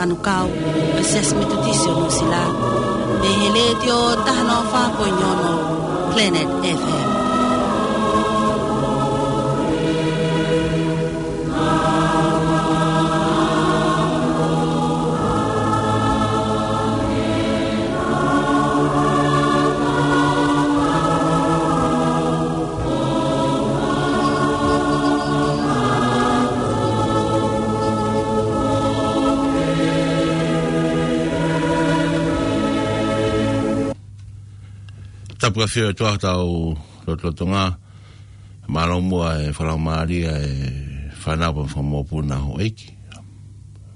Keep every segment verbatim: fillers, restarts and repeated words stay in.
Manukau, ʻo e Siasi Metotisi ʻo Nuʻusila, mei he Letiō taha noa fā poini ono Planet F M. Tapu ʻa e ʻOtua ʻi hotau lotolotonga. Mālō muʻa e fakalaumālie ʻa e fānau pea mo e fanga mokopuna houʻeiki.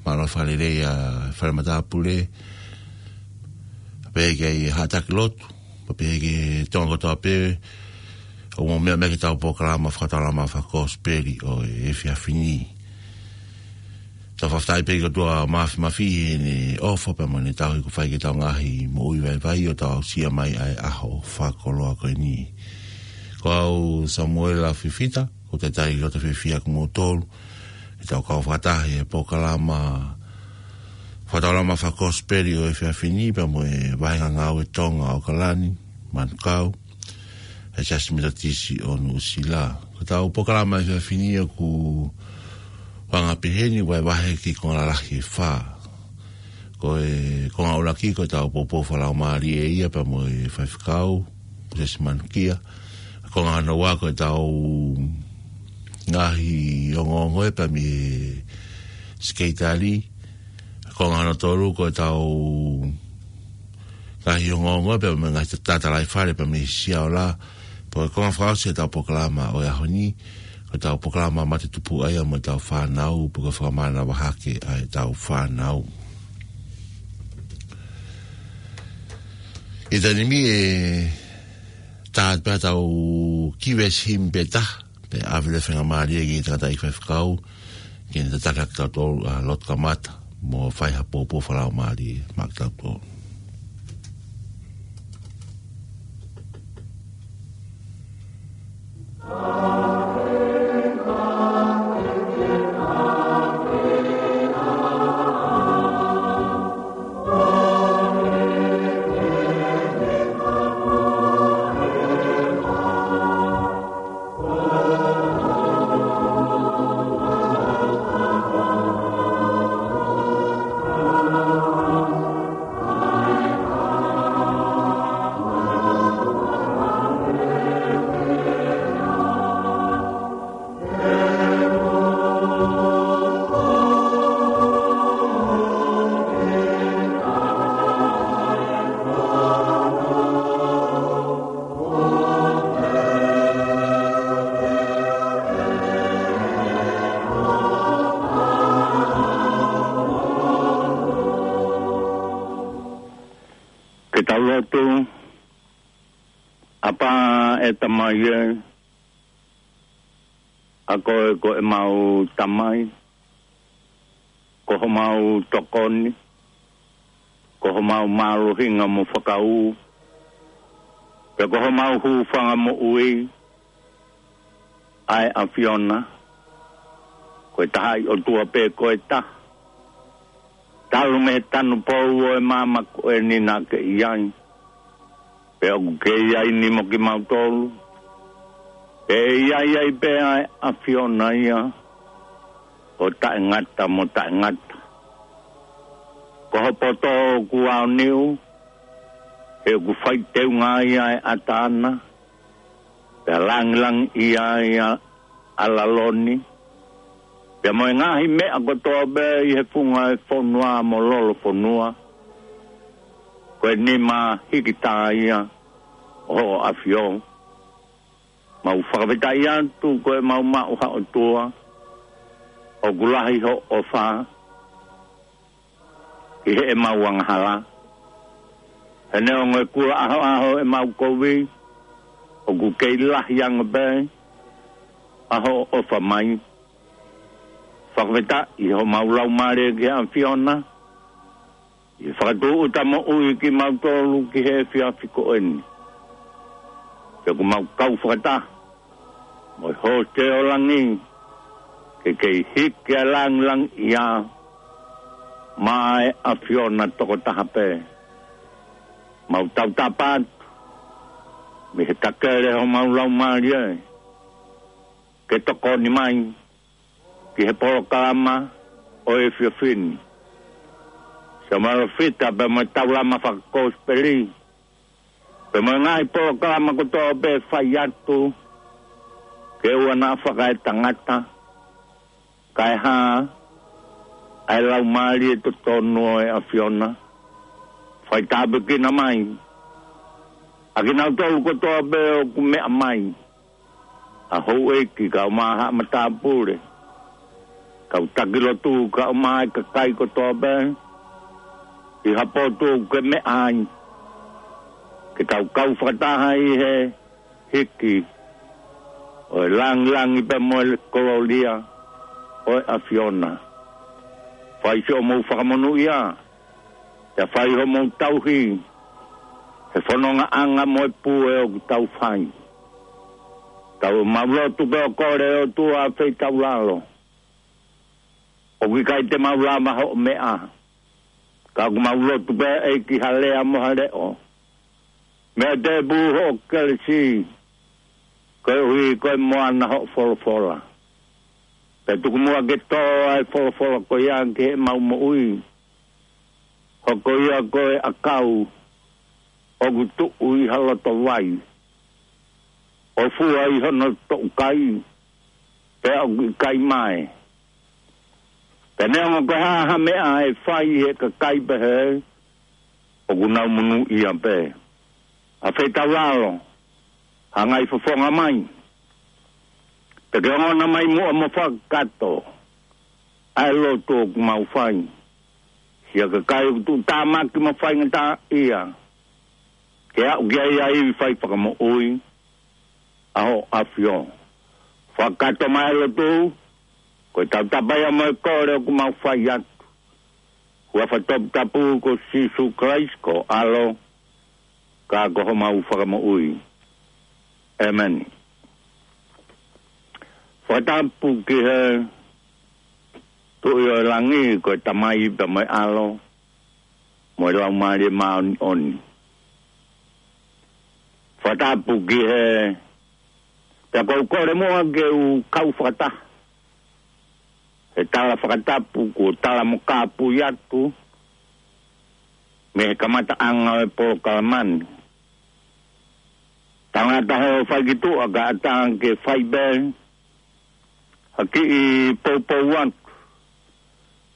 Mālō fakalelei ʻa e fale matāpule. Pehē ki he haʻa taki lotu. Pea pehē ki he Tonga kotoa pē ʻoku mou meʻa mai ki heʻetau polokalama fakataulama fakakosipeli ʻo e efiafi ni. Tau fakafetaʻi pē ki he ʻOtua Māfimafi ʻi heʻene ʻofa pea mo ʻene tauhi kuo fai ki heʻetau ngaahi moʻui vaivai ʻo tau aʻusia mai ʻa e ʻaho fakakoloa ko eni. Ko au Samuela Fifita, ʻoku ou talitali loto fiefia kimoutolu ke tau kau fakataha he polokalama fakataulama fakakosipeli ʻo e efiafi ni pea mo e Vahenga Ngāue Tonga ʻAokalani, Manukau, ʻa e Siasi Metotisi ʻo Nuʻusila. Ko ʻetau polokalama he efiafi ni ʻoku anga pehē ni, vahevahe ki he konga lalahi ʻe fā. Ko e konga ʻuluaki ko ʻetau poupou fakalaumālie ia pea mo e faifekau, Mōsese Manukia. Konga hono ua ko ʻetau ngaahi ongoongo pea mei he Sekelitali. Konga hono tolu ko ʻetau ngaahi ongoongo pea mei he ngaahi tatalaifale pea mei he Siaola. Pea ko e konga fakaʻosi ʻetau polokalama ʻo e ʻaho ni, ko ʻetau polokalama mate tupuʻa ia mo ʻetau fānau, pea ko e fakamānava hake ʻa ʻetau fānau. ʻI he taimi ni ʻe tā pē ʻetau kiʻi veesi himi pē taha, pea ʻave leva e faingamālie ki he tangataʻeiki faifekau, ke ne tataki kitautolu ʻa e lotu kamata, mo fai ha poupou fakalaumālie maʻa kitautolu. Ke tau lotu. ʻApā ʻe Tamai ē, ʻa koe ko ʻemau Tamai, ko homau tokoni, ko homau mālohinga mo fakaū, pea ko homau hūfanga moʻui, ʻa e ʻAfiona, ko e taha ʻi ʻOtua pē ko e taha. Talu mei he tanupou ʻo e māmani ko eni naʻa ke ʻi ai, pea ʻoku ke ʻi ai ni mo kimautolu, pea ʻe ʻi ai ai pē ʻa e ʻAfiona ia, ʻo taʻengata mo taʻengata. Ko ho poto ʻoku aoniu, he ʻoku fai teunga ai ʻa e ʻatā na, pea langilangiʻia ai ʻa ʻAlaloni, pea mo e ngaahi meʻa kotoa pē ʻi he funga ʻo e fonua mo lolofonua. Ko e nima hiki tā ia ʻo hoʻo ʻAfio. Mau fakafetaʻi atu ko ʻemau maʻu ha ʻOtua, ʻoku lahi hoʻo ʻofa ki heʻemau angahala. He neongo e kula ʻahoʻaho ʻemau kovi, ʻoku kei lahi ange pē ʻa hoʻo ʻofa mai. Fakafetaʻi homau laumālie ki he ʻAfiona, ʻi he fakatūʻuta moʻui kimautolu ki he efiafi ko eni. Pea ʻoku mau kau fakataha mo e hōtē ʻo langi, ke kei hiki ʻa e langilangiʻia maʻa e ʻAfiona tokotaha pē. Mau tautapa atu mei he takele homau laumālie ke tokoni mai ki he polokalama ʻo e efiafi ni. Siʻomau palōfita pea mo e taulama fakakosipeli, pea mo e ngaahi polokalama kotoa pē fai atu, ke ʻoua naʻa fakaetangata, kae hā ʻa e laumālie totonu ʻo e ʻAfiona. Fai tāpuekina mai ʻa kinautolu kotoa pē ʻoku meʻa mai, ʻa houʻeiki kae ʻumaʻā haʻa matāpule, kau taki lotu kae ʻumaʻā e kakai kotoa pē ʻi ha potu ʻoku ke meʻa ai, ke tau kau fakataha ʻi he hiki ʻo e langilangi pea mo e kolōlia ʻo e ʻAfiona. Fai siʻomou fakamonūʻia, pea fai homou tauhi he fonongaʻanga mo e pule ʻoku tau fai. Tau mau lotu pea kole ʻOtua ʻa feitaulalo, ʻoku ʻikai te mau lava hoʻo meʻa, ka ʻoku mau lotu pē ʻEiki ha lea mo ha leʻo, meʻa tēpū hoʻo kelesi, koeʻuhi ko e moana hoʻo folofola. Pea tuku muʻa ke tō ʻa e folofola ko ia ki heʻemau moʻui, hoko ia ko e ʻakau ʻoku tuʻu ʻi ha loto vai, ʻo fua ʻi hono toʻukai, pea ʻoku ʻikai mae. Pea neongo ko e hā ha meʻa ʻe fai ʻe he kakai pehē, ʻoku nau monūʻia pē. ʻA feitaulalo, hangai fofonga mai, pea ke ongona mai muʻa mo fakakakato ʻa e lotu ʻoku mau fai. Siʻa kakai ʻoku tuʻutāmaki mo faingataʻaʻia, ke aʻu ki ai ʻa e ivi fai fakamoʻui ʻa hoʻo ʻAfio. Fakakakato mai e lotu, ko e tautapa ia mo e kole ʻoku mau fai atu. Huafa toputapu ko Sīsū Kalaisi ko ho ʻAlo, ka ko homau Fakamoʻui. ʻĒmeni. Fakatapu ki he Tuʻi ʻo e langi, ko e Tamai pea mo e ʻAlo, mo e Laumālie Māʻoniʻoni. Fakatapu ki he, pea ʻoku ou kole muʻa ke u kau fakataha he tala fakatapu kuo tala mo kāpui atu mei he kamataʻanga ʻo e polokalama ni. Tangata he ʻo fai ki tuʻa kae ʻatā ke fai pē ha kiʻi poupou atu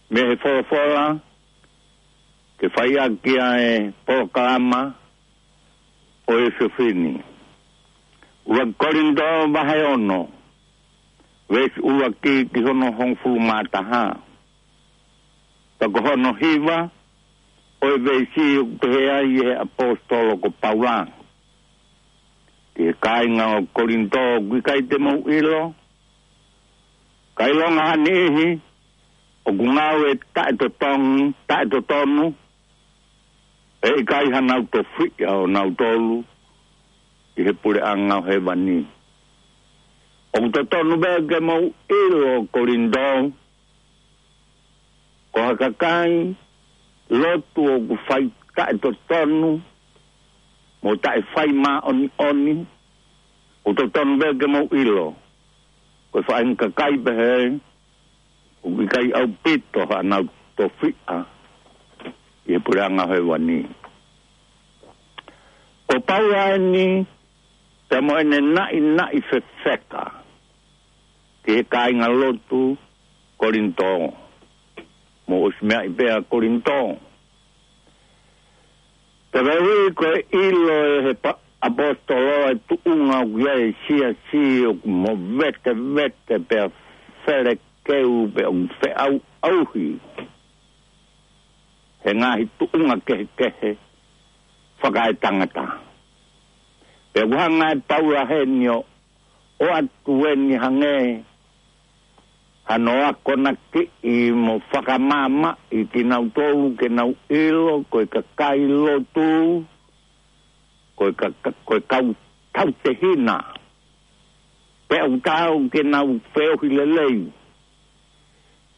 mei he folofola ke fai ʻaki ʻa e polokalama ʻo e efiafi ni. ʻUluaki Kolinitō vahe ono, veesi ʻuluaki ki hono hongofulu mā taha. Pea ko hono hiva ʻo e veesi ʻoku pehē ai ʻe he ʻaposetolo ko Paula ki he kāinga ʻo Kolinitō, ʻoku ʻikai te mou ʻilo, ka ʻilonga ha niʻihi ʻoku ngāue taʻetotongi, taʻetotonu, ʻe ʻikai hanau tofiʻa ʻonautolu ʻi he puleʻanga ʻo hēvani. ʻOku totonu pē ke mou ʻilo, Kolinitō, ko ha kakai lotu ʻoku fai taʻetotonu mo taʻefai māʻoniʻoni, ʻoku totonu pē ke mou ʻilo, ko e faʻahinga kakai pehē, ʻoku ʻikai ʻaupito hanau tofiʻa ʻi he puleʻanga ʻo hēvani. Ko Paula eni, pea mo ʻene naʻinaʻi fefeka ki he kāinga lotu Kolinitō. Mou ʻosi meaʻi pē ʻa Kolinitō. Pea ʻoku ʻikai ʻilo ʻe he pa-, ʻaposetolo e tuʻunga ʻoku ʻi ai e siasi ʻoku movetevete pea felekeu pea ʻoku feʻauʻauhi he ngaahi tuʻunga kehekehe fakaetangata. Pea ʻoku hanga ʻe Paula heni ʻo ʻoatu eni hangē hano akonakiʻi mo fakamaamaʻi kinautolu ke nau ʻilo ko e kakai lotu, ko e ka-, ka-, ko e kau tautehina, pea ʻoku taau ke nau feohi lelei.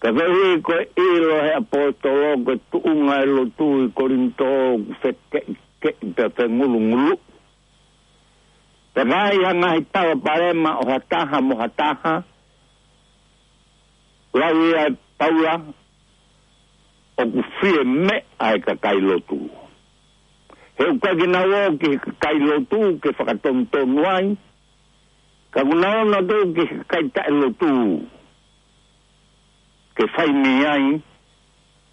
Pea koeʻuhi ko e ʻilo ʻe he ʻaposetolo ko e tuʻunga e lotu ʻi Kolinitō ʻoku fekeʻikeʻi pea fengulungulu. Pea ka ai ha ngaahi palopalema ʻo ha taha mo ha taha, lau ia ʻe Paula, ʻoku fie meʻa e kakai lotu. He ʻoku ʻikai ke nau ō ki he kakai lotu ke fakatonutonu ai, ka ʻoku nau ō nautolu ki he kakai taʻelotu ke fai mei ai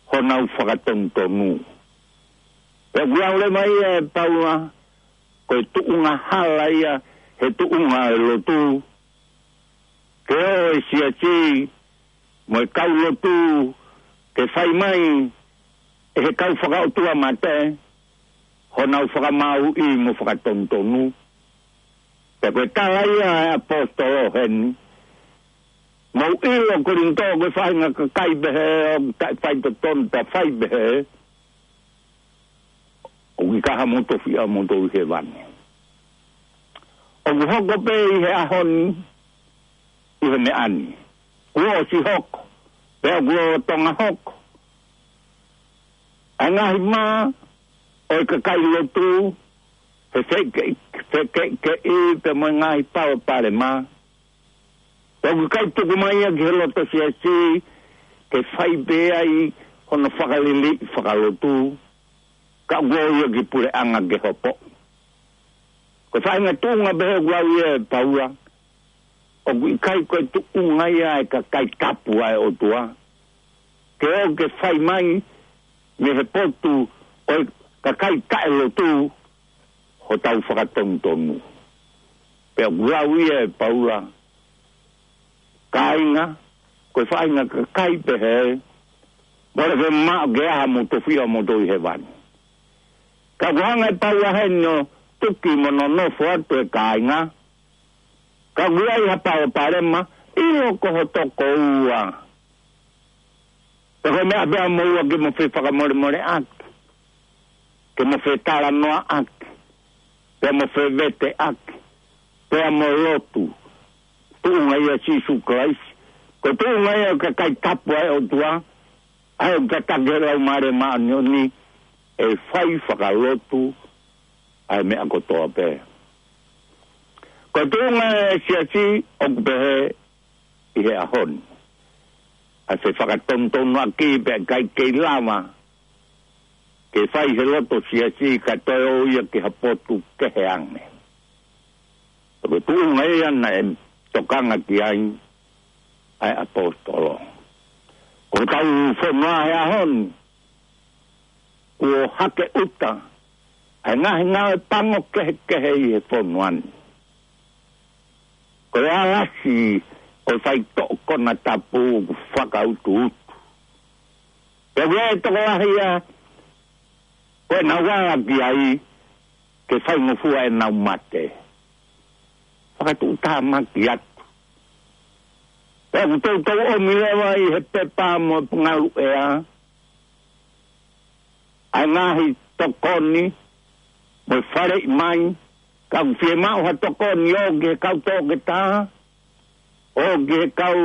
honau fakatonutonu. Pea ʻoku lau leva ia ʻe Paula, ko e tuʻunga hala ia he tuʻunga e lotu, ke ō e siasi mo e kau lotu ke fai mai ʻe he kau fakaʻotuamate honau fakamāuʻi mo fakatonutonu. Pea ko e tala ia ʻa e ʻaposetolo heni, mou ʻilo Kolinitō ko e faʻahinga kakai pehē ʻoku taʻefaitotonu pea fai pehē, ʻoku ʻikai haʻamou tofiʻa moutolu ʻi hēvani. ʻOku hoko pē ʻi he ʻaho ni, ʻi he meʻa ni. Kuo ʻosi hoko, pea kuo lolotonga hoko ʻa e ngaahi mā ʻo e kakai lotu, he fekeʻikeʻi pea mo e ngaahi palopalema. Pea ʻoku ʻikai tuku mai ia ki he loto siasi ke fai pē ai hono fakaliliʻi fakalotu, ka ʻoku ō ia ki puleʻanga ke hopo. Ko e faʻahinga tuʻunga pehē ʻoku lau ia ʻe Paula, ʻoku ʻikai ko e tuʻunga ia e kakai tapu ʻa e ʻOtua ke ō ke fai mai mei he potu ʻo e kakai taʻelotu hotau fakatonutonu. Pea ʻoku lau ia ʻe Paula, kāinga, ko e faʻahinga kakai pehē, mole ke maʻu ke ʻi ai haʻamou tofiʻa moutolu ʻi hēvani. Ka ʻoku hanga ʻe Paula heni ʻo tuki mo nonofo atu e kāinga, ka ʻoku ʻi ai ha palopalema, ʻilo ko ho tokoua. Pea ko e meʻa pē ʻamoua ke mo fefakamolemoleʻaki, ke mo fetalanoaʻaki, pea mo feveteʻaki, pea mo lotu. Tuʻunga ia ʻo Sīsū Kalaisi, ko e tuʻunga ia ʻo e kakai tapu ʻa e ʻOtua, ʻa ia ʻoku tataki ʻe he Laumālie Māʻoniʻoni ʻe fai fakalotu ʻa e meʻa kotoa pē. Ko e tuʻunga e siasi ʻoku pehē ʻi he ʻaho ni, ʻa e fefakatonutonu ʻaki pea ʻikai kei lava ke fai he loto siasi ka toe ō ia ki ha potu kehe ange. Ko e tuʻunga ia naʻe tokanga ki ai ʻa e ʻaposetolo. Ko hotau fonua he ʻaho ni, kuo hake ʻuta ʻa e ngaahi ngāue pango kehekehe ʻi he fonua ni. Ko e alasi ʻo e faitoʻo konatapu ʻoku fakautuutu. Pea ʻoku ʻi ai e tokolahi ia ko ʻenau ala ki ai ke faingofua ʻenau mate. Fakatuʻutāmaki atu. Pea ʻoku toutou ʻomi leva ʻi he pepa mo e ngaluʻea ʻa e ngaahi tokoni mo e faleʻi mai, ka ʻoku fiemaʻu ha tokoni ʻo ki he kau toketā, ʻo ki he kau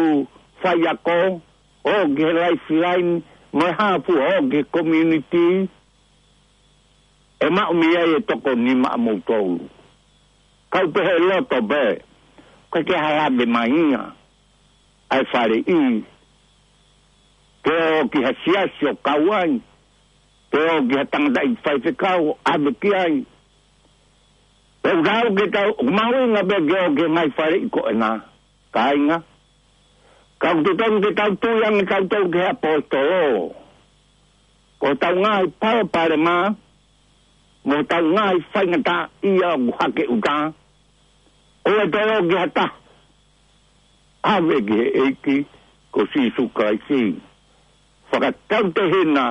faiako, ʻo ki he Lifeline, mo e hā fua ʻo ki he community, ʻe maʻu mei ai e tokoni maʻamoutolu. Kau pehē loto pē, ʻikai ke ʻi ai ha lave mai ia ʻa e faleʻi, ke ō ki ha siasi ʻo kau ai, ke ō ki ha tangataʻeiki faifekau ʻo ʻave ki ai. Pea ʻoku tau ke tau, ʻoku mahuʻinga pē ke ō ki he ngaahi faleʻi ko ena, kāinga. Ka ʻoku totonu ke tau tui ange tautolu ki he ʻaposetolo. Ko hotau ngaahi palopalema, mo hotau ngaahi faingataʻaʻia ʻoku hake ʻuta, ʻoua ʻe toe ō ki ha taha, ʻave ki he ʻEiki ko Sīsū Kalaisi. Fakatautehina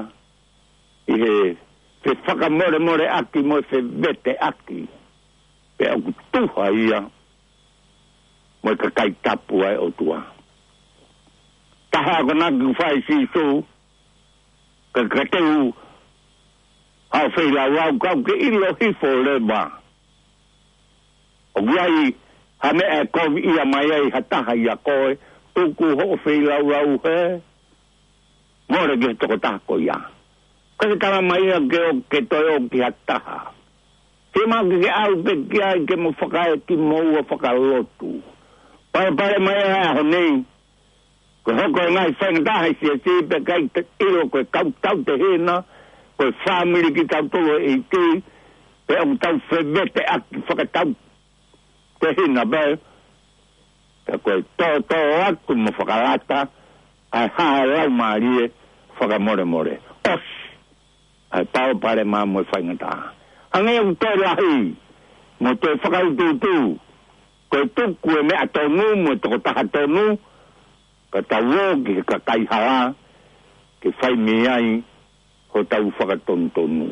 ʻi he fefakamolemoleʻaki mo e feveteʻaki, pea ʻoku tuha ia mo e kakai tapu ʻa e ʻOtua. Taha akonaki ʻoku fai ʻe Sīsū, ka, ka te u haʻu ʻo feilaulau, ka ʻoku ke ʻilo hifo leva ʻoku ʻi ai ha meʻa ʻe koviʻia mai ai ha taha ʻia koe, tuku hoʻo feilaulau hē, mole ki he tokotaha ko ia. Ka ke tala mai ia ke ʻoua ke toe ō ki ha taha. Ke mau ke ke ʻalu pē ki ai ke mo fakaeti moua fakalotu. Palopalema ia he ʻaho ni. Ko e hoko e ngaahi faingataʻa he siasi pea ʻikai te ʻilo ko e kau tautehina, ko e fāmili kitautolu ʻa e ʻEiki, pea ʻoku tau feveteʻaki fakatautehina pē. Pea ko e tōtō atu mo fakalata ʻa e hā e laumālie fakamolemole. ʻOsi ʻa e palopalema mo e faingataʻa. Hangē ʻoku toe lahi mo toe fakautuutu, ko e tuku e meʻa tonu mo e tokotaha tonu, ka tau ō ki he kakai hala ke fai mei ai hotau fakatonutonu.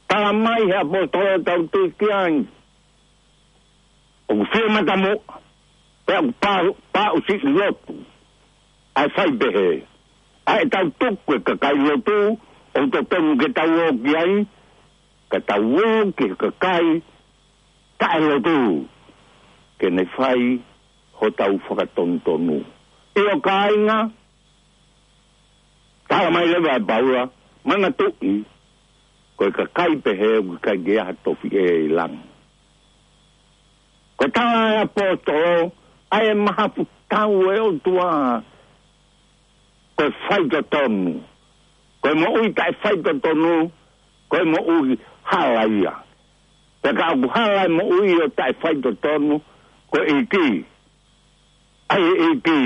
Tala mai he ʻaposetolo ʻoku tau tui ki ai, ʻoku fie matamuʻa, pea ʻoku pau, pau siʻi lotu ʻa e fai pehē. ʻA ʻetau tuku e kakai lotu ʻoku totonu ke tau ō ki ai, ka tau ō ki he kakai taʻelotu ke ne fai hotau fakatonutonu. ʻIo kāinga, tala mai leva ʻe Paula, manatuʻi, ko e kakai pehē ʻoku ʻikai ke ʻi ai ha tofiʻe ʻi langi. Ko e tala ʻa e ʻaposetolo, ʻa e mahafu tau ʻo e ʻOtua, ko e faitotonu. Ko e moʻui taʻefaitotonu, ko e moʻui hala ia. Pea ka ʻoku hala e moʻui ʻo taʻefaitotonu, ko e ʻEiki, ʻa e ʻEiki,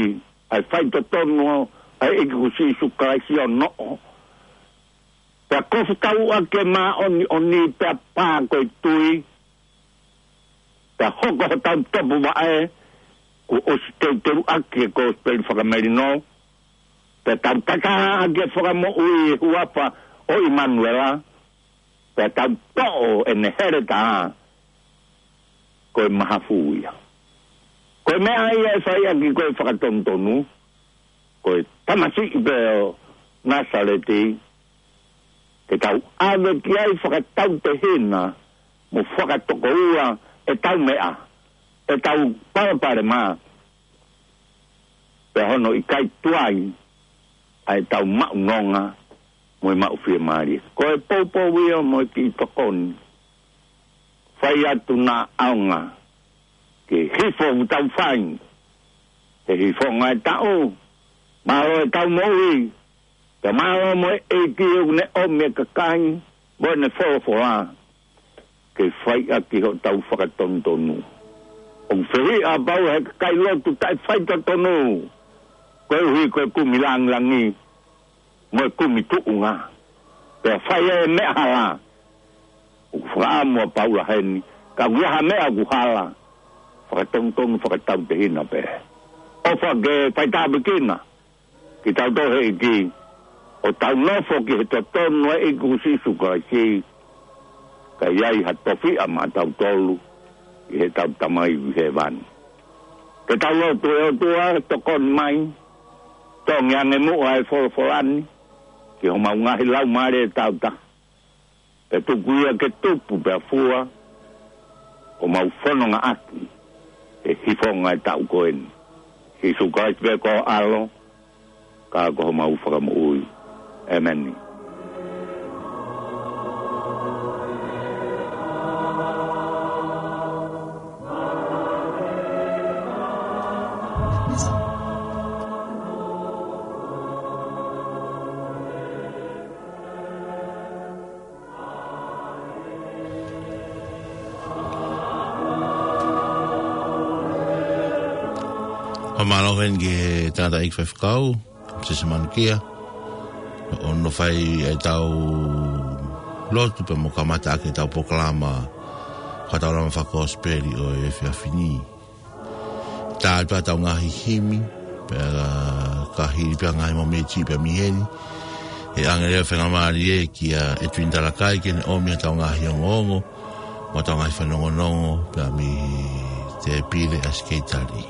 ʻa e faitotonu, ʻa e ʻEiki ko Sīsū Kalaisi ʻo noʻo. Pea kofu tau ʻaki e māʻoniʻoni pea pā ko e tui, pea hoko hotau topuvaʻe kuo ʻosi teuteuʻaki e kosipeli fakamelino, pea tau tatā ʻaki e fakamoʻui ʻi he huafa ʻo ʻImanuela, pea tau toʻo ʻene heletā ko e mahafu ia. Ko e meʻa ia ʻe fai ʻaki ko e fakatonutonu, ko e tamasiʻi pē ʻo Nāsaleti, ke tau ʻave ki ai fakatautehina mo fakatokoua ʻetau meʻa, ʻetau palopalema, pea hono ʻikai tuai ʻa ʻetau maʻu nonga mo e maʻu fiemālie. Ko e poupou ia mo e kiʻi tokoni. Fai atu naʻa ʻaonga ki he hifo ʻoku tau fai he hifonga e taʻu, mālō ʻetau moʻui, pea mālō mo e ʻEiki ʻoku ne ʻomi e kakai mo ʻene folofola ke fai ʻaki hotau fakatonutonu. ʻOku fehiʻa ʻa Paula he kakai lotu taʻefaitotonu, koeʻuhi ko e kumi langilangi mo e kumi tuʻunga, pea fai e meʻa hala. ʻOku fakaʻamu ʻa Paula heni, ka ʻoku ʻi ai ha meʻa ʻoku hala, fakatonutonu fakatautehina pē. ʻOfa ke faitāpuekina kitautolu ʻe he ʻEiki, ʻo tau nofo ki he totonu ʻa e ʻEiki ko Sīsū Kalaisi, ka ʻi ai ha tofiʻa maʻatautolu ʻi heʻetau Tamai ʻi hēvani. Ke tau lotu. ʻE ʻOtua, tokoni mai, toʻongi ange muʻa e folofola ni ki homau ngaahi laumālie tāutaha, pea tuku ia ke tupu pea fua, ʻo mau fononga ʻaki he hifonga e taʻu ko eni. Sīsū Kalaisi pē ko ho ʻAlo, ka ko homau Fakamoʻui. ʻĒmeni. Fakamālō heni ki he tangataʻeiki faifekau, Sese Manukia, ʻo hono fai ʻetau lotu pea mo kamata ʻaki ʻetau polokalama, fakataulama fakakosipeli ʻo e efiafi ni. Tali pē ʻetau ngaahi himi, pea ka hili pē ngaahi mōmēti pē mei heni. ʻE ʻange leva e faingamālie kia ʻEtuini Talakai ke ne ʻomi ʻetau ngaahi ongoongo mo ʻetau ngaahi fanongonongo pē mei he tēpile ʻa e sekelitali.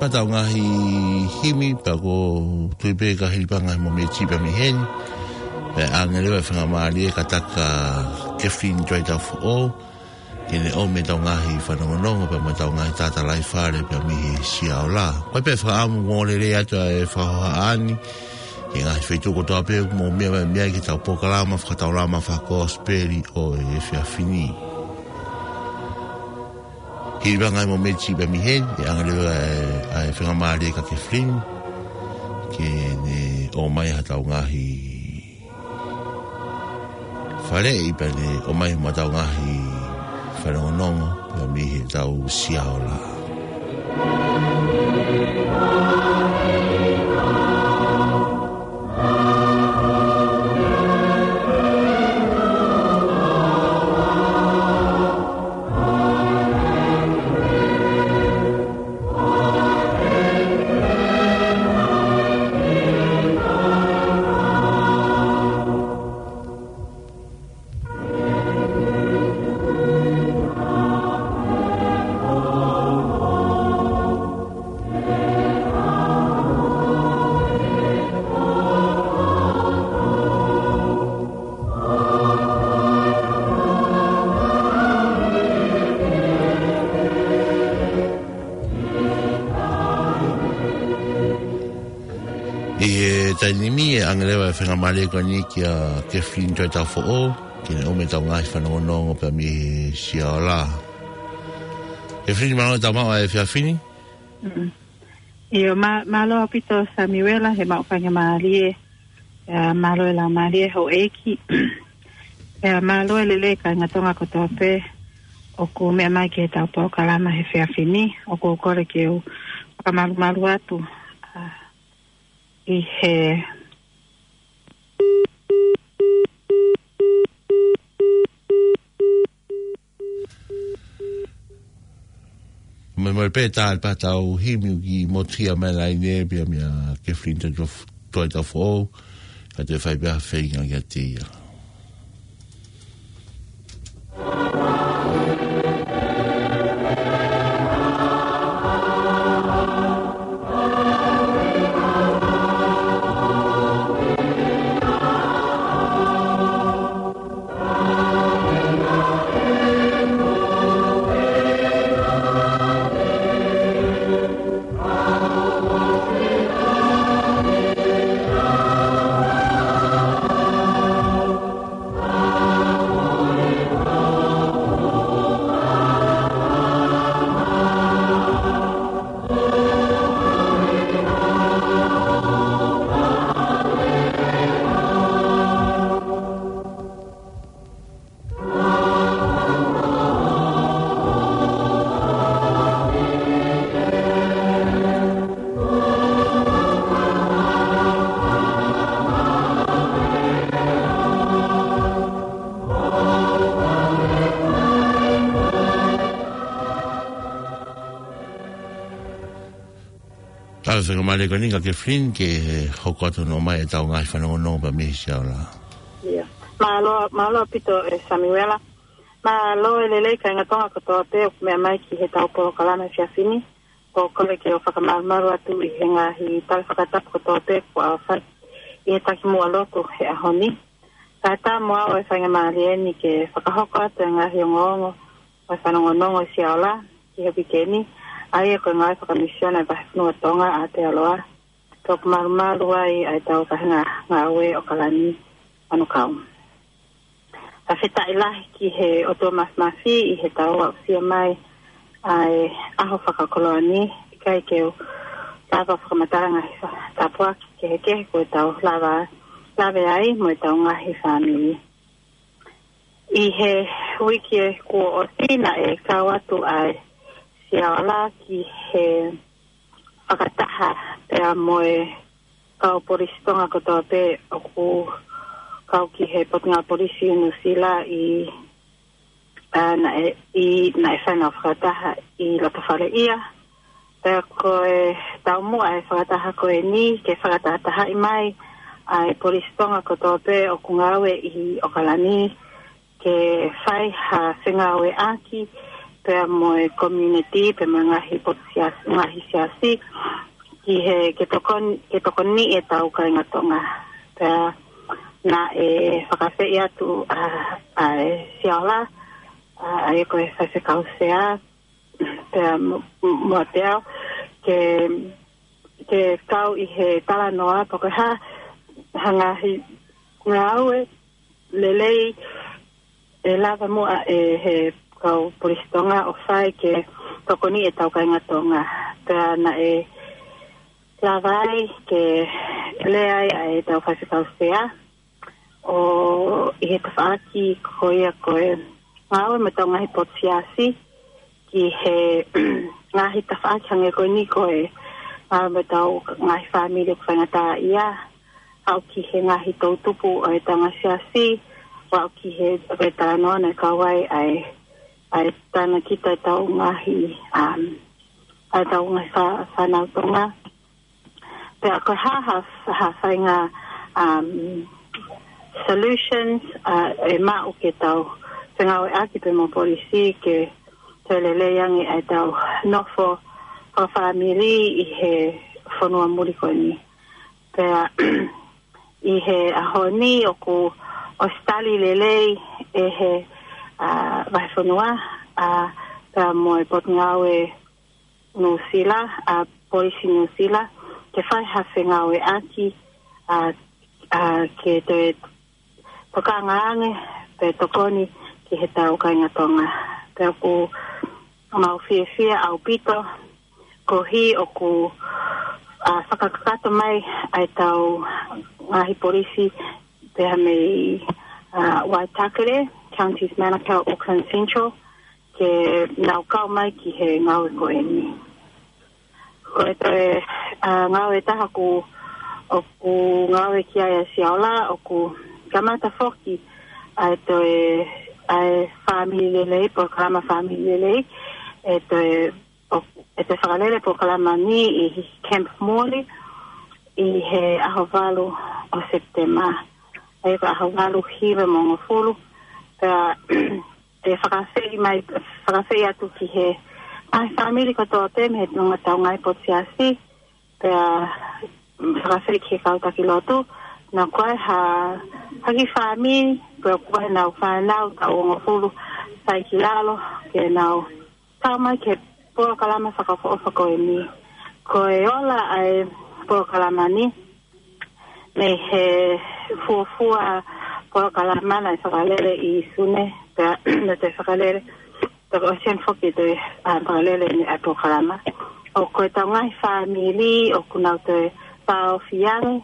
Pea tau ngaahi himi, pea ko tui pē ka hili pē ngaahi momenti pē mei heni. Pea ʻange leva e faingamālie ka taka Kefilini Tuaitafoʻou ke ne ʻomi ʻetau ngaahi fanongonongo pea mo ʻetau ngaahi tatalaifale pea mei he Siaola. Ko e pē fakaʻamu mo lele atu e fakahohaʻa ni ki he ngaahi feituʻu kotoa pē ʻoku mou meʻa mai ki heʻetau polokalama fakataulama fakakosipeli ʻo e efiafi ni. Hili pē ngaahi momenti pē mei heni, ʻe ʻange leva e, ʻa e faingamālie kia Kefilini ke ne ʻomai haʻatau ngaahi faleʻi pea ne ʻomai mo ʻetau ngaahi fanongonongo pea mei heʻetau Siaola. ʻI he taimi ni ʻe ʻange leva e faingamālie ko eni kia Kefilini Tuaitafoʻou ke ne ʻomi ʻetau ngaahi fanongonongo pea mei he Siaola. Kefilini, mālō e tau maʻu ʻa e efiafi ni. Mm. ʻIo, mā-, mālō ʻaupito Samiuela he maʻu faingamālie. Pea mālō e laumālie houʻeiki. Pea mālō e lelei kāinga Tonga kotoa pē ʻoku meʻa mai ki heʻetau polokalama he efiafi ni. ʻOku ou kole ke u fakamalumalu atu, ā, ʻi he Mo e, mo e pē tā pē ʻetau himi ʻoku kiʻi motuhia mai e laine pea mei a Kefilini Tuaitafoʻou, ka te fai pē ha feinga kiate ia. Tau faingamālie ko eni kia Kefilini ke hoko atu ʻo ʻomai ʻetau ngaahi fanongonongo pea mei he Siaola. ʻIo. Mālō, mālō ʻaupito ē Samiuela. Mālō e lelei kāinga Tonga kotoa pē ʻoku meʻa mai ki heʻetau polokalama he efiafi ni. ʻOku ou kole ke u fakamalumalu atu ʻi he ngaahi tali fakatapu kotoa pē kuo fai ʻi he takimuʻa lotu he ʻaho ni. Kae ʻatā mo au e faingamālie ni ke fakahoko atu e ngaahi ongoongo ʻo e fanongonongo ʻo e Siaola ki he uike ni, ʻa ia ko e ngāue fakamisiona ʻa e Vāhenga Fonua Tonga ʻa Aotearoa, ʻoku malumalu ai ʻa ʻetau kāinga ngāue ʻo ʻAokalani, Manukau. Fakafetaʻi lahi ki he ʻOtua Māfimafi ʻi heʻetau aʻusia mai ʻa e ʻaho fakakoloa ni, ʻikai ke u lava fakamatala ngaahi tāpuaki kehekehe kuo tau lava, lave ai mo ʻetau ngaahi fāmili. ʻI he uike kuo ʻosi naʻe kau atu ʻa e Siaola ki he fakataha pea mo e kau polisi Tonga kotoa pē ʻoku kau ki he Potungāue Polisi Nuʻusila ʻi, ā, naʻe, ʻi, naʻe fai ʻenau fakataha ʻi Lotofale ia. Pea ko e taumuʻa e fakataha ko eni ke fakatahatahaʻi mai ʻa e polisi Tonga kotoa pē ʻoku ngāue ʻi ʻAokalani ke fai ha fengāueʻaki pea mo e community, pea mo e ngaahi potu siasi, ngaahi siasi, ki he, ke tokon-, ke tokoniʻi ʻetau kāinga Tonga. Pea naʻe fakaafeʻi atu ʻa, ʻa e Siola, ʻa, ʻa ia ko e faifekau sea, pea mo, mo te au, ke, ke kau ʻi he talanoa, pe ko e hā, ha ngaahi ngāue lelei ʻe lava muʻa ʻe he kau polisi Tonga ʻo fai ke tokoniʻi ʻetau kāinga Tonga. Pea naʻe lava ai ke lea ai ʻa ʻetau faifekau sea, ʻo ʻi he tafaʻaki ko ia ko e ngāue mo ʻetau ngaahi potu siasi, ki he ngaahi tafaʻaki hangē ko eni ko e ngāue mo ʻetau ngaahi fāmili ʻoku faingataʻaʻia, aʻu ki he ngaahi toʻutupu ʻo ʻetau ngaahi siasi, ʻo aʻu ki he, he talanoa naʻe kau ai ʻa e, ʻa e tānaki ʻetau ngaahi, um, ʻa ʻetau ngaahi fā-, fānau Tonga. Pea ko e hā ha, ha faʻahinga, um, solutions, uh, ʻe maʻu ke tau fengāueʻaki pea mo e polisi ke toe lelei ange ʻetau nofo fakafāmili ʻi he fonua muli ko eni. Pea ʻi he ʻaho ni ʻoku ʻosi tali lelei ʻe he, uh, vahefonua, uh, pea mo e Potungāue Nuʻusila, ʻa Polisi Nuʻusila, ke fai ha fengāueʻaki, ʻa, ʻa, ke toe tokanga ange, pe tokoni ki heʻetau kāinga Tonga. Pea ʻoku mau fiefia ʻaupito, koeʻuhi ʻoku, ʻa, fakakakato mai ʻa ʻetau ngaahi polisi, pea mei, ʻa, Waitakere, Counties Manukau, Auckland Central, ke nau kau mai ki he ngāue ko eni. Ko e toe, ʻa, ngāue ʻe taha ʻoku, ʻoku ngāue ki ai ʻa Siola, ʻoku kamata foki ʻa e toe, ʻa e fāmili lelei, polokalama fāmili lelei, ʻe toe, ʻo, ʻe toe fakalele polokalama ni ʻi Camp Morley, ʻi he ʻaho valu ʻo Sepitema. ʻA ia ko e ʻaho valu hiva mo e hongofulu, pea ʻe fakaafeʻi mai, fakaafeʻi atu ki he ngaahi fāmili kotoa pē mei he tuʻunga ʻetau ngaahi potu siasi, pea fakaafeʻi ki he kau taki lotu, naʻa ko e hā, ha kiʻi fāmili, pea ko e nau fānau taʻu hongofulu sai ki lalo, ke nau kau mai ki he polokalama fakaʻofoʻofa ko eni. Ko e ola ʻa e polokalama ni, mei he fuofua polokalama naʻe fakalele ʻi Sune, pea naʻe toe fakalele, pea ko e ʻosi eni foki toe, ʻa, fakalele eni ʻa e polokalama. ʻOku ko ʻetau ngaahi fāmili, ʻoku nau toe pāofi ange,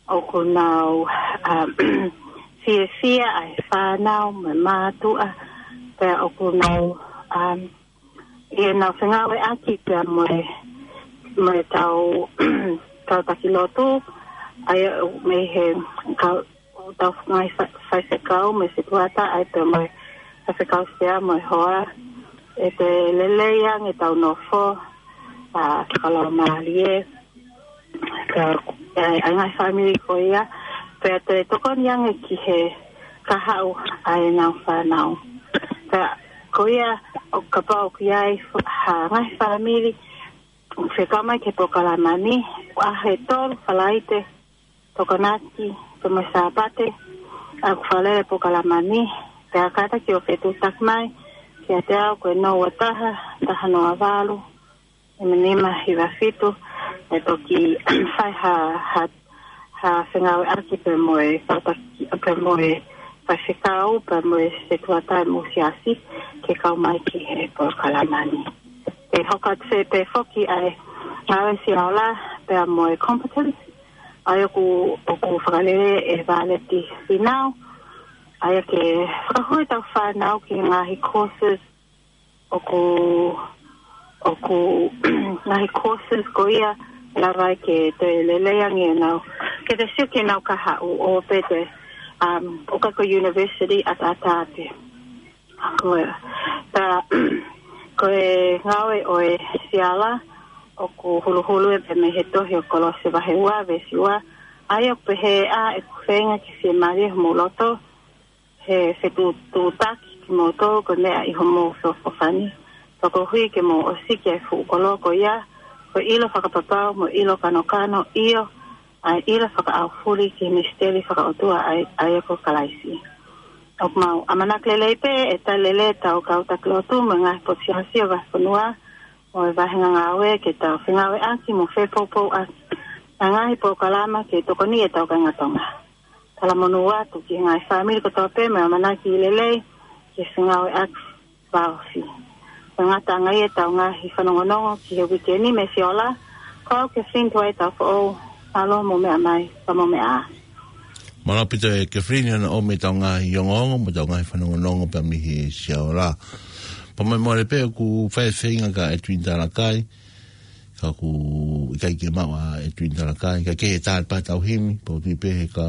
ʻoku nau, ʻa, fiefia ʻa e fānau mo e mātuʻa, pea ʻoku nau, ʻa, ʻi heʻenau fengāueʻaki pea mo e, mo ʻetau, kau taki lotu, ʻa ia mei he kau, ʻetau ngaahi fa-, faifekau mo e setuata, ʻa ia pea mo e faifekau sea mo e hoa, ʻe toe lelei ange ʻetau nofo, ʻa, fakalaumālie, ka, ʻa, ʻa e ngaahi fāmili ko ia, pea toe tokoni ange ki he kahaʻu ʻa ʻenau fānau. Ka ko ia, ʻo kapau ʻoku ʻi ai fo-, ha ngaahi fāmili ʻoku fekau mai ki he polokalama ni, ʻaho ʻe tolu, Falaite, Tokonaki, pea mo e Sāpate, ʻoku fakalele polokalama ni, pea kātaki ʻo fetuʻutaki mai kiate au ko e noa ua taha, taha noa valu, nima nima hiva fitu, ʻe toki fai ha, ha, ha fengāueʻaki pea mo e kautaki, pea mo e faifekau, pea mo e setuata mo e siasi, ke kau mai ki he polokalama ni. ʻE hoko atu pē foki ʻa e ngāue ʻa Siola, pea mo e competence, ʻa ia ʻoku, ʻoku fakalele ʻe Valeti Finau, ʻa ia ke fakahū ʻetau fānau ki he ngaahi courses, ʻoku, ʻoku ngaahi courses ko ia lava ai ke toe lelei ange ʻenau, ke toe sio ki heʻenau kahaʻu ʻo pehē, um, ʻoku ʻikai ko e university ʻataʻatā pē. Ko ia. Pea, ko e ngāue ʻo e Siola, ʻoku huluhulu ʻe pē mei he tohi ʻo Kolose vahe ua, veesi ua, ʻa ia ʻoku pehē, ʻa ʻeku feinga ke fiemālie homou loto, he fetuʻutaki kimoutolu ko e meʻa ʻi homou feʻofoʻofani. Pea koeʻuhi ke mou ʻosiki ʻa e fuʻu kolo ko ia, ko e ʻilo fakapapau mo e ʻilo kanokano, ʻio, ʻa e ʻilo fakaʻaufuli ki he misiteli fakaʻotua ʻa e, ʻa ia ko Kalaisi. ʻOku mau ʻamanaki lelei pē ʻe tali lelei ʻetau kau taki lotu mo e ngaahi potufeʻofoʻofani ʻo e vahefonua, ʻo e vahenga ngāue ke tau fengāueʻaki mo fepoupouʻaki ʻa e ngaahi polokalama ke tokoni ʻetau kāinga Tonga. Talamonū atu ki he ngaahi fāmili kotoa pē mo e ʻamanaki lelei ke fengāueʻaki vāofi. Ko e ngataʻanga ia ʻetau ngaahi fanongonongo ki he uike ni mei Siola, ko au Kathleen Tuai Tafoʻou, mālō mo meʻa mai, ka mo meʻa. Mālō ʻaupito ʻe Kathleen ʻi hono ʻomi ʻetau ngaahi ongoongo mo ʻetau ngaahi fanongonongo pea mei he Siola. Pea mo e mole pē ʻoku fai e feinga kia Edwin Talakai, ka ʻoku ʻikai ke maʻu ʻa Edwin Talakai, ka ke he tāle pā ʻetau himi, pea ʻoku ou tui pē he ka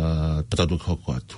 patatu ke hoko atu.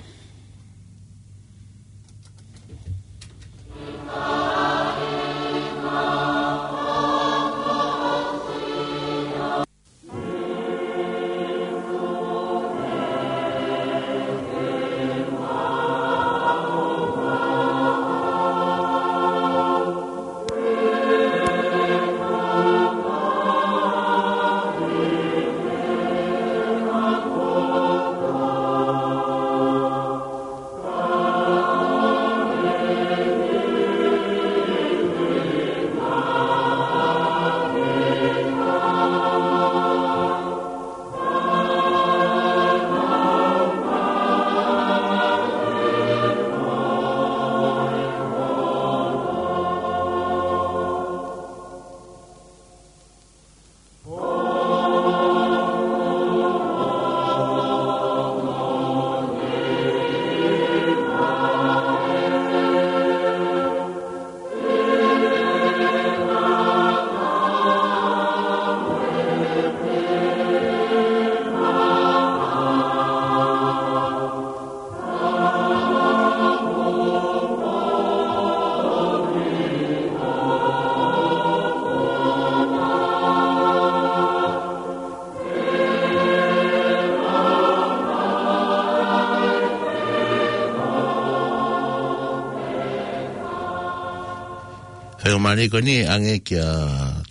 Faingamālie ko eni ʻe ʻange kia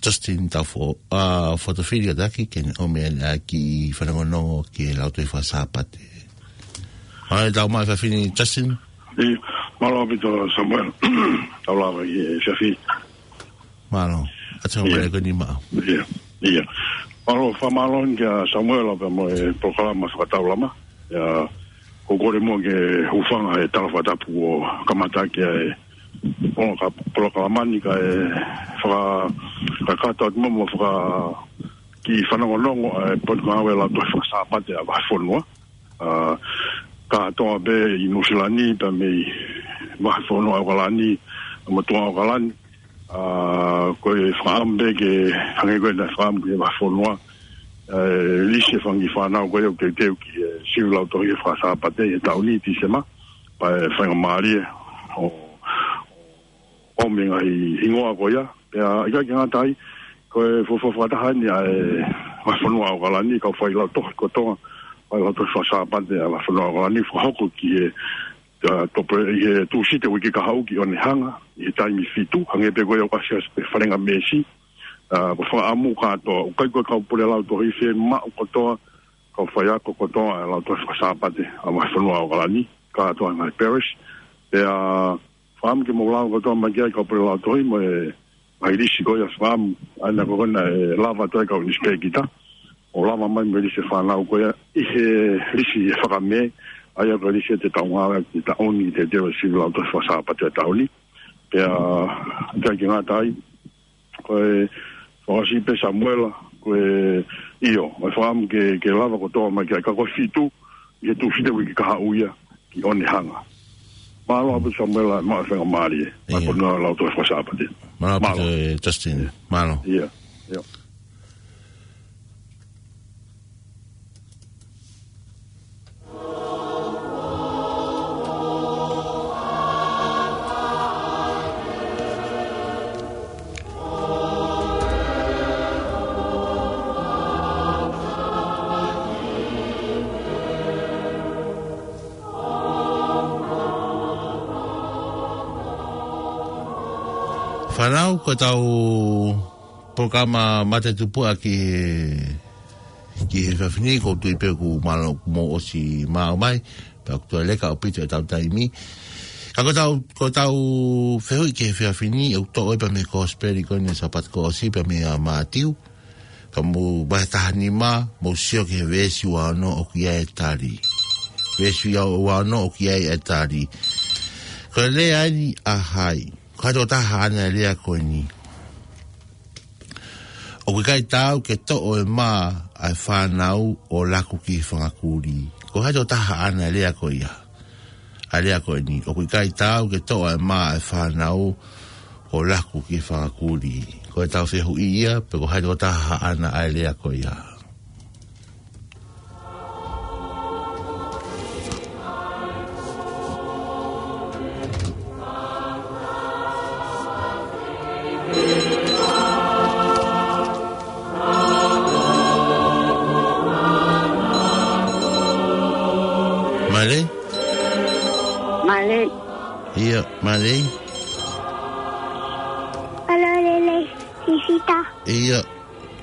Justin Taufo, ʻa Fotofili ʻa Taki, ke ne ʻomi ʻa e kiʻi fanongonongo ki he Lautohi Fakasāpate. Mālō e tau mai fafini Justin. ʻIo, mālō ʻaupito Samuel. Tau lava ʻi he efiafi. Mālō. ʻA te Ia. Mālō ko eni maʻa. ʻIo, ʻio. Mālō, fakamālō kia Samuel pea mo e polokalama fakataulama. ʻIo, ʻoku ou kole muʻa ke hūfanga he tala fakatapu ʻo kamata ki ai e poloka-, polokalama ni kae fakakakato atu muʻa mo faka-, kiʻi fanongonongo ʻa e Potungāue Lautohi Fakasāpate ʻa e vahefonua. ʻA, kātoa pē ʻi Nuʻusila ni, pea mei vahefonua ʻAokalani, mo Tonga ʻAokalani. ʻA, ko e fakaʻamu pē ke hangē ko e naʻe fakaʻamu ki he vahefonua, ʻa, lisi e fanga kiʻi fānau ko ia ʻoku teuteu ki he sivi lautohi fakasāpate he taʻu ni Tīsema, pea ʻe faingamālie ʻo ʻomi e ngaahi hingoa ko ia. Pea ʻikai ke ngata ai, ko e fuofua fakataha eni ʻa e vahefonua ʻAokalani, kau failautohi kotoa, failautohi fakasāpate ʻa e vahefonua ʻAokalani, fakahoko ki he, ʻa, Tōpō-, ʻi he Tūsite uike kahaʻu ki ʻOnehanga, ʻi he taimi fitu, hangē pē ko ia ʻoku ʻasi ʻa e falenga mēsi. ʻA, ko e fakaʻamu kātoa, ʻoku ʻikai ko e kau pule lautohi, fiemaʻu kotoa, kau faiako kotoa ʻa e lautohi fakasāpate ʻa e vahefonua ʻAokalani, kātoa ngaahi parish. Pea fakaʻamu ke mou lava kotoa mai ki ai kau pule lautohi mo e ngaahi lisi ko ia fakaʻamu, ʻa ia ko ena ʻe lava atu ai kau ʻinisipēkita ʻo lava mai mo e lisi e fānau ko ia ʻi he lisi e fakamē, ʻa ia ko e lisi ʻe taʻu ngāue ki he taʻu ni, teuteu e sivi lautohi fakasāpate ʻa e taʻu ni. Pea ʻikai ke ngata ai, ko e fakaʻosi pē Samuela, ko e ʻio, ʻe fakaʻamu ke, ke lava kotoa mai ki ai, ka ko e fitu, ʻi he Tūsite uike kahaʻu ia, ki ʻOnehanga. Mālō ʻaupito Samuela, maʻu e faingamālie, mai ʻIo. Potungāue Lautohi Fakasāpate. Mālō ʻaupito Mālō. ʻE Justin. Mālō. ʻIo, ʻio. Fānau, ko ʻetau polokalama Mate Tupuʻa ki he, ki he efiafi ni, ʻoku ou tui pē kuo mālō, mou ʻosi maʻu mai, pea ʻoku toe leka ʻaupito ʻetau taimi. Ka ko ʻetau, ko ʻetau fehuʻi ki he efiafi ni, ʻoku toʻo ia pea mei he kosipeli ko eni ʻo e Sāpate kuo ʻosi pea mei a Mātiu. Ka mou vahe taha nima, mou sio ki he veesi ua ono ʻoku ʻi ai e tali. Veesi ua ono ʻoku ʻi ai e tali. Ko e lea eni ʻa hai? Ko hai tokotaha ʻaʻana e lea ko eni? ʻOku ʻikai taau ke toʻo ʻe mā ʻa e fānau ʻo laku ki he fanga kulī. Ko hai tokotaha ʻaʻana e lea ko ia? ʻA e lea ko eni, ʻoku ʻikai taau ke toʻo ʻe mā ʻa e fānau ʻo laku ki he fanga kulī. Ko ʻetau fehuʻi ia, pe ko hai tokotaha ʻaʻana ʻa e lea ko ia? Mālō. Mālō. ʻIo, mālō. Mālō e lelei, Sisita. ʻIo.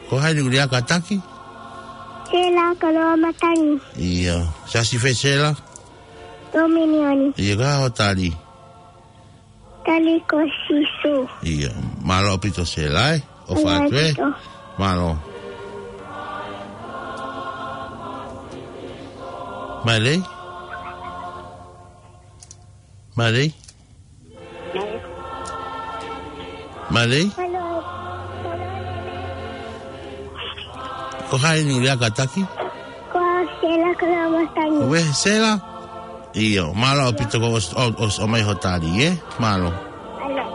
Ko hai ʻoku lea kātaki? Sela Koloamatangi. ʻIo. Siasi fē Sela? Dominion. ʻIo, ko hai hoʻo tali? Tali ko Sīsū. ʻIo, mālō ʻaupito Sela, ē? ʻOfa atu, ē? Mālō. Mālō. Mālō. Mālō. Ko hai ʻoku lea kātaki? Ko Sela Koloamatangi. Ko Sela? ʻIo, mālō ʻaupito ko ʻos-, ʻo-, ʻos-, ʻomai hoʻo tali, ē? Mālō. Mālō.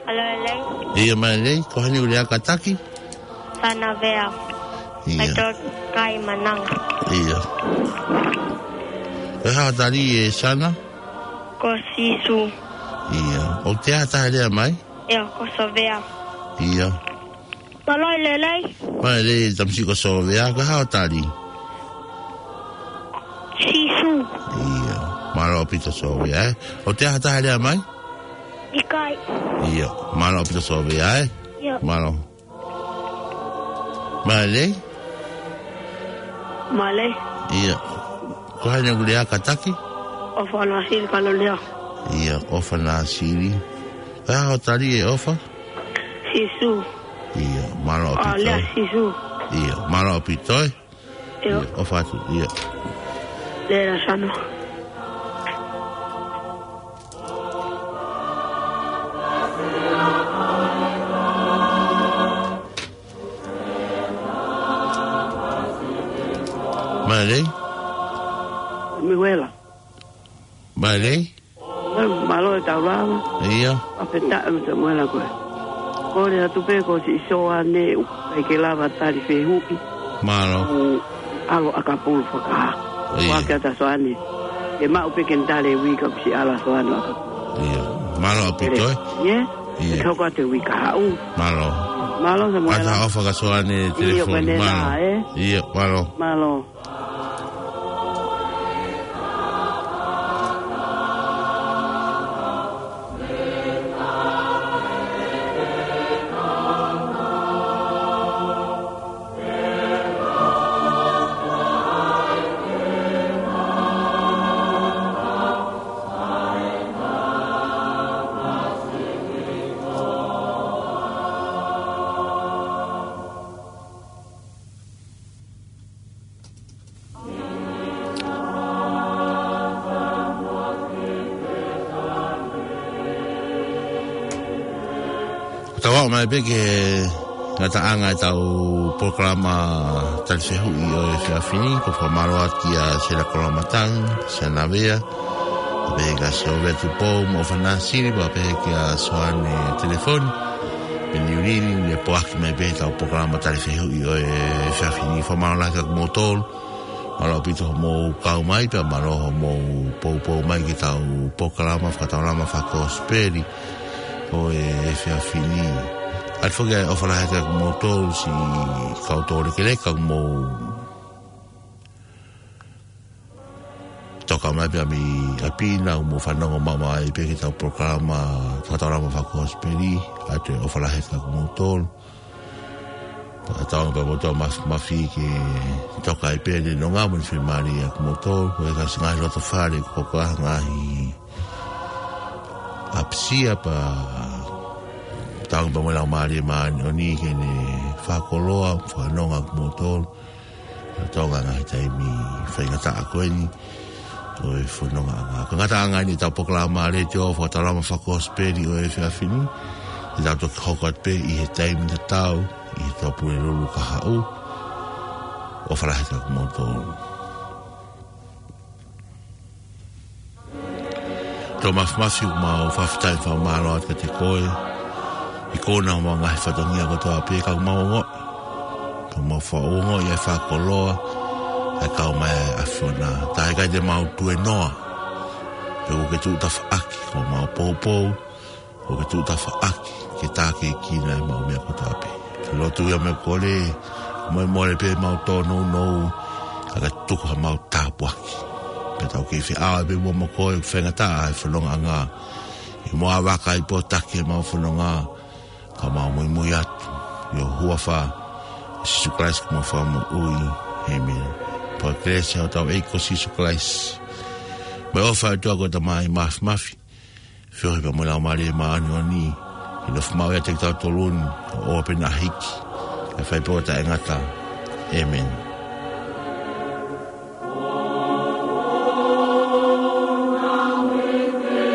Mālō e lelei. ʻIo mālō, ko hai ʻoku lea kātaki? Sana Vea. ʻIo. Mai Tōkai Mananga. ʻIo. Ko hai hoʻo tali ē Sana? Ko Sīsū. ʻIo. ʻOku toe ʻi ai ha taha ʻe lea mai? ʻIo, ko Sovea. ʻIo. Mālō e lelei. Mālō e lelei, tamasiʻi ko Sovea, ko hai hoʻo tali? Sīsū. ʻIo. Mālō ʻaupito Sovea, ē? ʻOku toe ʻi ai ha taha ʻe lea mai? ʻIkai. ʻIo. Mālō ʻaupito Sovea, ē? ʻIo. Mālō. Mālō e lelei. Mālō e lelei. ʻIo. Ko hai ʻoku lea kātaki? ʻOfa Nāsili Kalolea. ʻIo, ʻOfa Nāsili. Ko hai hoʻo tali ē ʻOfa? Sīsū. ʻIo, mālō ʻaupito. ʻA, lea Sīsū. ʻIo, mālō ʻaupito, ē? ʻIo. ʻIo, ʻofa atu, ʻio. Lea Sana. Mālō e lelei. Mihuela. Mālō e lelei. Mālō e tau lava. ʻIo. ʻA pē taʻu te muela koe. Kole atu pē ko siʻi Soane ʻoku ʻikai ke lava tali fehuʻi. Mālō. ʻOku ʻalu ʻakapulu fakahā. ʻIo. Ua ke ata Soane. Ke maʻu pē ke ne tali e uike ʻoku siʻi ʻalu Soane ʻakapulu. ʻIo. Mālō ʻaupito, ē? ʻIo. ʻIo. Ke hoko atu e uike kahaʻu. Mālō. Mālō Samuela. Ata ʻOfa kia Soane ʻio, telefoni. Pene Mālō. Nā, ē? ʻIo, mālō. Tau aʻu mai pē ki he ngataʻanga ʻetau polokalama tali fehuʻi ʻo e efiafi ni, ko e fakamālō atu kia Sela Koloamatangi, Sana Vea, pea pehē kia Sovea Tupou mo ʻOfa Nāsili, pea pehē kia Soane telefoni, pea Niulili, ne poaki mai pē ʻetau polokalama tali fehuʻi ʻo e efiafi ni. Fakamālō lahi kia kimoutolu. Mālō ʻaupito hoʻomou kau mai, pea mālō hoʻomou poupou mai ki heʻetau polokalama fakataulama fakakosipeli. ʻo e efiafi ni. ʻOatu foki ʻa e ʻofa lahi atu kiate kimoutolu siʻi kau tōlekeleka ʻoku mou toka mai pē mei ʻapi na ʻoku mou fanongo mai pē ki heʻetau polokalama Fakataulama Fakakosipeli, ʻoatu e ʻofa lahi atu kiate kimoutolu. Fakatauange pē ʻoku mou mafimafi ke toka ai pē he nonga mo e fiemālie ʻa kimoutolu, ko e kau siʻi ngaahi loto fale ko e kau ngaahi ʻapisia pea tauange pē mo e Laumālie Māʻoniʻoni ke ne fakakoloa, fakanonga ʻa kimoutolu. Fakatauange ngaahi taimi faingataʻa ko eni ʻo e fonongaʻanga. Ko e ngataʻanga eni ʻetau polokalama letiō Fakataulama Fakakosipeli ʻo e efiafi ni. Te tau toki hoko atu pē ʻi he taimi tatau, ʻi he Tuʻapulelulu kahaʻu. ʻOfa lahi atu kiate kimoutolu. Tō mafimafi ʻoku mau fakafetaʻi fakamālō atu kiate koe. ʻI he kona ʻo e ngaahi fatongia kotoa pē ʻoku mau ongoʻi. ʻOku mau faʻa ongoʻi ʻa e fakakoloa ʻa e kau mai ʻa e ʻAfiona. Taʻe ʻikai te mau tuēnoa. He ʻoku ke tuʻu tafaʻaki, ʻoku mau poupou. ʻOku ke tuʻu tafaʻaki ke tākiekina ʻemau meʻa kotoa pē. Ke lotu ia mo e kole, mo e mole pē ʻemau tōnounou, ka ke tuku haʻamau tāpuaki. Pea tau kei feʻao pē muʻa mo koe, faingataʻa e fonongaʻanga. ʻI he moʻa vaka ʻi pōtaki ʻemau fononga, ka mau muimui atu. ʻI ho huafa, Sīsū Kalaisi ko homau Fakamoʻui. ʻĒmeni. Pea ko e kelesi ʻa hotau ʻEiki ko Sīsū Kalaisi, mo e ʻofa ʻa e ʻOtua ko e Tamai Mafimafi, feohi pea mo e Laumālie Māʻoniʻoni, ke nofo maʻu ʻiate kitautolu ni, ʻo ʻoua pē naʻa hiki, kae fai pē ʻo taʻengata. ʻĒmeni.